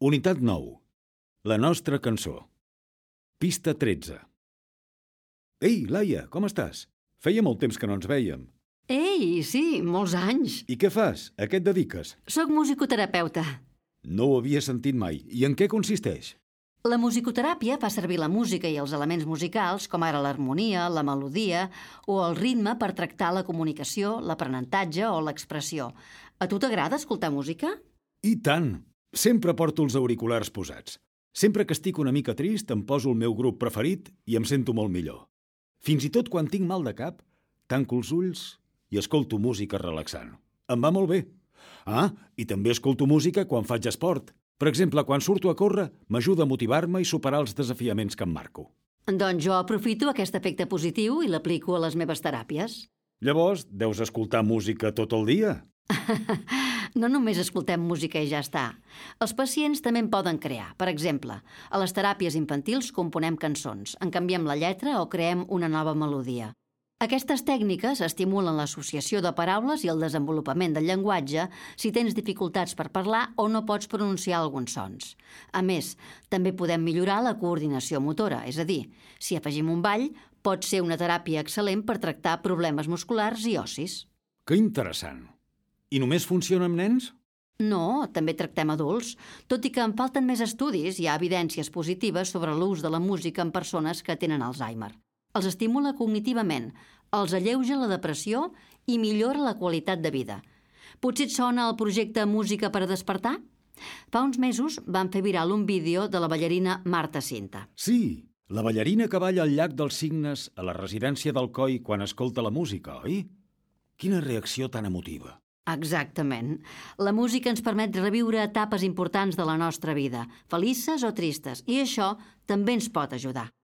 Unitat 9. La nostra cançó. Pista 13. Ei, Laia, com estàs? Feia molt temps que no ens vèiem. Ei, sí, molts anys. I què fas? A què et dediques? Soc musicoterapeuta. No ho havia sentit mai. I en què consisteix? La musicoteràpia fa servir la música i els elements musicals, com ara l'harmonia, la melodia o el ritme per tractar la comunicació, l'aprenentatge o l'expressió. A tu t'agrada escoltar música? I tant! Sempre porto els auriculars posats. Sempre que estic una mica trist em poso el meu grup preferit i em sento molt millor. Fins i tot quan tinc mal de cap, tanco els ulls i escolto música relaxant. Em va molt bé. Ah, i també escolto música quan faig esport. Per exemple, quan surto a córrer, m'ajuda a motivar-me i superar els desafiaments que em marco. Doncs jo aprofito aquest efecte positiu i l'aplico a les meves teràpies. Llavors, deus escoltar música tot el dia? No només escoltem música i ja està. Els pacients també en poden crear. Per exemple, a les teràpies infantils componem cançons, en canviem la lletra o creem una nova melodia. Aquestes tècniques estimulen l'associació de paraules i el desenvolupament del llenguatge si tens dificultats per parlar o no pots pronunciar alguns sons. A més, també podem millorar la coordinació motora, és a dir, si afegim un ball, pot ser una teràpia excel·lent per tractar problemes musculars i ossis. Que interessant! I només funciona amb nens? No, també tractem adults. Tot i que en falten més estudis, hi ha evidències positives sobre l'ús de la música en persones que tenen Alzheimer. Els estimula cognitivament, els alleuja la depressió i millora la qualitat de vida. Potser et sona el projecte Música per a despertar? Fa uns mesos van fer viral un vídeo de la ballarina Marta Cinta. Sí, la ballarina que balla al llac dels Cignes a la residència d'Alcoi quan escolta la música, oi? Quina reacció tan emotiva. Exactament. La música ens permet reviure etapes importants de la nostra vida, felices o tristes, i això també ens pot ajudar.